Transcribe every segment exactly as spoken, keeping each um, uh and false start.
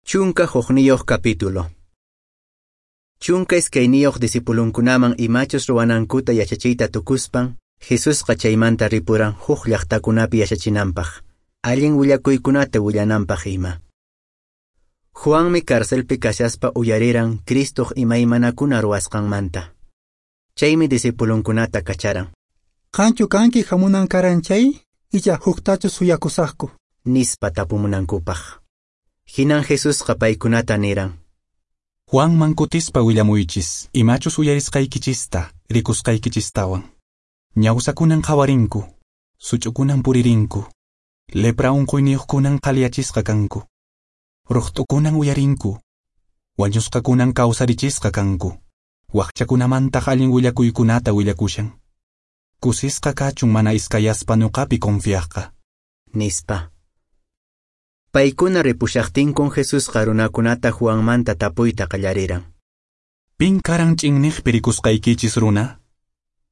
Chunka hukniyuq capítulo. Chunka iskayniyuq discipulunkunaman imachus ruwanankuta yachachiyta tukuspan, Jesusqa chaymanta ripuran huk llaqtakunapi yachachinanpaq, allin willakuykunata willananpaq ima. Juanmi carcelpi kashaspa uyariran Cristoq imaymanakuna ruwasqanmanta. Chaymi discipulunkunata kacharan. Qanchu kanki hamunan karan chay, icha huktachu suyakusaqku? Nispa tapumunankupaq. Hinan Jesusqa paykunata niran. Juanman kutispa willamuychis, imachus uyarisqaykichista, rikusqaykichistawan. Ñawsakunan qhawarinku, such'ukunan puririnku, lepra unquyniyuqkunan qhaliyachisqa kanku, ruqt'ukunan uyarinku, wañusqakunan kawsarichisqa kanku, waqchakunamantaq allin willakuykunata willakushan. Kusisqa kachun mana iskayaspa nuqapi confiaqqa. Nispa. Paykuna ripushaqtinkun Jesusqa runakunata Juanmanta tapuyta qallariran. Pin karan ch'inniqpi rikusqaykichis runa?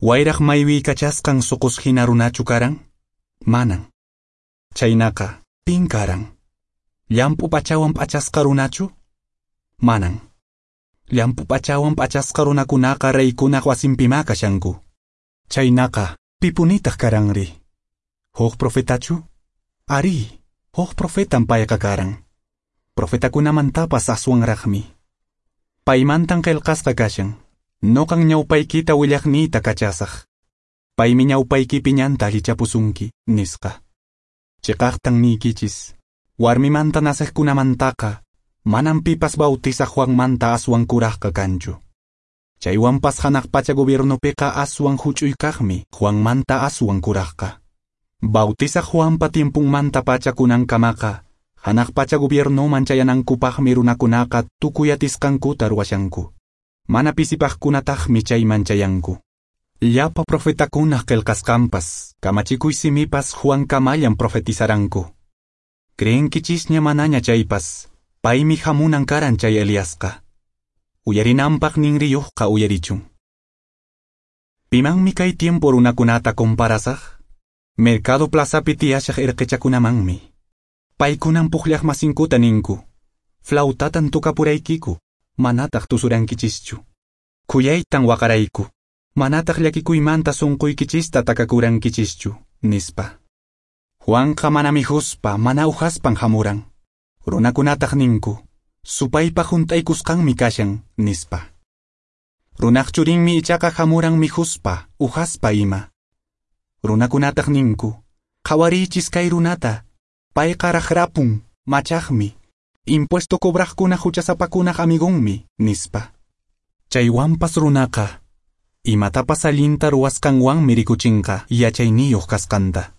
Wayraq maywiykachasqan suqus hina runachu karan? Manan. Chaynaqa, pin karan? Llamp'u p'achawan p'achasqa runachu? Manan. Llamp'u p'achawan p'achasqa runakunaqa reykunaq wasinpimá kashanku. Chaynaqa, pipunitaq karanri? Huk profetachu? Ari, huk profetan payqa karan. Profetakunamantapas aswanraqmi. Paymantan qillqasqa kashan. Noqan ñawpaykita willaqniyta kachasaq. Paymi ñawpaykipi ñanta allichapusunki, nisqa. Chiqaqtan niykichis, warmimanta naceqkunamantaqa, manan pipas bautizaq Juanmanta aswan kuraqqa kanchu. Chaywanpas hanaq pacha gobiernopiqa aswan huch'uykaqmi Juanmanta aswan kuraqqa. Bautizaq Juanpa tiempunmanta pacha kunankamaqa, hanaq pacha gobiernoman chayanankupaqmi runakunaqa tukuy atisqankuta ruwashanku. Mana pisipaqkunataqmi chayman chayanku. Llapa profetakunaq qillqasqanpas, kamachikuy simipas Juankamallan profetizaranku. Creenkichisña manaña chaypas, paymi hamunan karan chay Eliasqa. Uyarinanpaq ninriyuqqa uyarichun. Pimanmi kay tiempo runakunata comparasaq? Mercado plazapi tiyashaq irqichakunamanmi. Paykunan pukllaq masinkuta ninku. Flautatan tukapuraykiku, manataq tusurankichischu. Khuyaytan waqarayku, manataq llakikuymanta sunquykichista takakurankichischu, nispa. Juanqa mana mikhuspa, mana uhaspan hamuran. Runakunataq ninku, supaypa hunt'aykusqanmi kashan, nispa. Runaq churinmi ichaqa hamuran mikhuspa, uhaspa ima. Runakunataq ninku, qhawariychis kay runata, payqa raqrapun, machaqmi, impuesto cobraqkuna huchasapakunaq amigunmi, nispa. Chaywanpas runaqa, imatapas allinta ruwasqanwanmi rikuchinqa yachayniyuq kasqanta.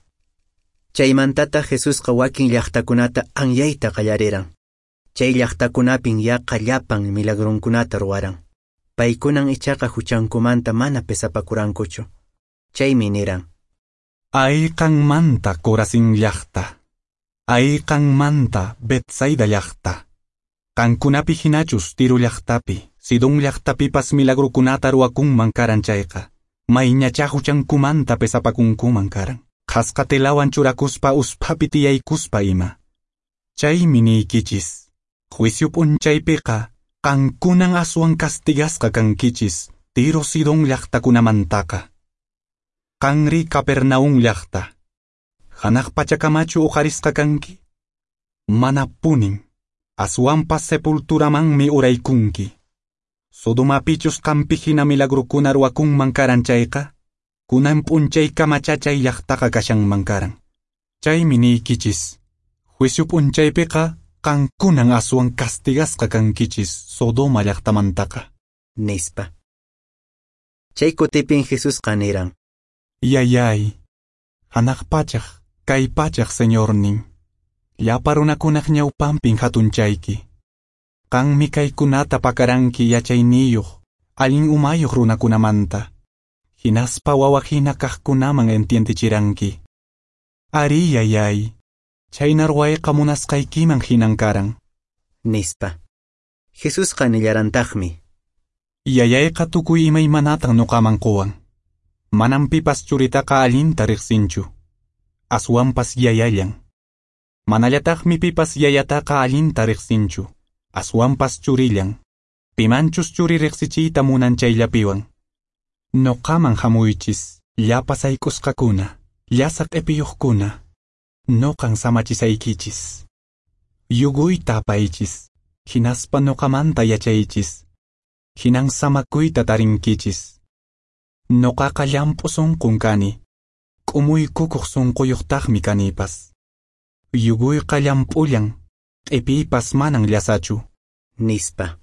Chaymantataq Jesusqa wakin llaqtakunata anyayta qallariran. Chay llaqtakunapin yaqa llapan milagrunkunata ruwaran. Paykunan ichaqa huchankumanta mana pesapakurankuchu. Chaymi niran. Ay qanmanta Corazín llaqta. Ay qanmanta Betsaida llaqta. Qankunapi hinachus Tiro llaqtapi, Sidón llaqtapipas milagrukunata ruwakunman karan chayqa. Mayñachá huchankumanta pesapakunkuman karan. Qhasqa telawan churakuspa usphapi tiyaykuspa ima. Chaymi niykichis, juicio p'unchaypiqa qankunan aswan castigasqa kankichis Tiro Sidón llaqtakunamantaqa. Qanri Capernaum llaqta. Hanaq pachakamachu uqarisqa kanki? Manapunin, aswanpas sepulturamanmi uraykunki. Sodomapichus qampi hina milagrukuna ruwakunman karan chayqa, kunan p'unchaykamacha chay llaqtaqa kashanman karan. Chaymi niykichis, juicio p'unchaypiqa qankunan aswan castigasqa kankichis Sodoma llaqtamantaqa. Nispa. Chay kutipin Jesusqa niran. Yayay, hanaq pachaq, kay pachaq Señornin, llapa runakunaq ñawpanpin hatunchayki. Qanmi kaykunata pakaranki yachayniyuq, allin umayuq runakunamanta. Hinaspa wawa hina kaqkunaman entiendechiranki. Ari yayay, chayna ruwayqa munasqaykiman hinan karan. Nispa. Jesusqa nillarantaqmi. Yayayqa tukuy imaymanatan nuqaman quwan. Manam pipas churitaqa allinta riqsinchu. Aswanpas yayallan. Manallataqmi pipas yayataqa allinta riqsinchu. Aswanpas churillan, pimanchus churi riqsichiyta munan chayllapiwan. Noqaman hamuychis, llapa sayk'usqakuna, llasa q'ipiyuqkuna, noqan samachisaykichis. Yuguyta apaychis, hinaspa noqamanta yachaychis, hinan samakuyta tarinkichis. Noqaqa llamp'u sunqun kani, k'umuykukuq sunquyuqtaqmi kanipas. Yuguyqa llamp'ullan, q'ipiypas manan llasachu. Nispa.